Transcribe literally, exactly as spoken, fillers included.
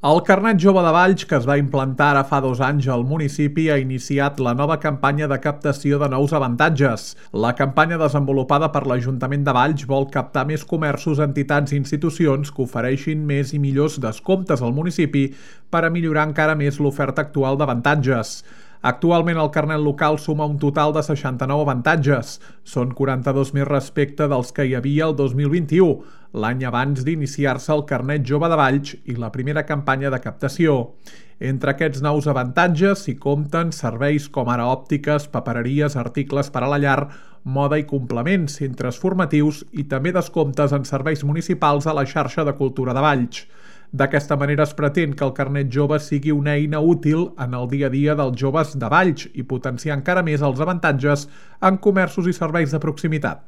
El Carnet Jove de Valls, que es va implantar ara fa dos anys al municipi, ha iniciat la nova campanya de captació de nous avantatges. La campanya desenvolupada per l'Ajuntament de Valls vol captar més comerços, entitats i institucions que ofereixin més i millors descomptes al municipi per a millorar encara més l'oferta actual d'avantatges. Actualment el carnet local suma un total de seixanta-nou avantatges. Són quaranta-dos més respecte dels que hi havia el dos mil vint-i-u, l'any abans d'iniciar-se el Carnet Jove de Valls i la primera campanya de captació. Entre aquests nous avantatges s'hi compten serveis com ara òptiques, papereries, articles per a la llar, moda i complements, centres formatius i també descomptes en serveis municipals a la xarxa de cultura de Valls. D'aquesta manera es pretén que el carnet jove sigui una eina útil en el dia a dia dels joves de Valls i potenciar encara més els avantatges en comerços i serveis de proximitat.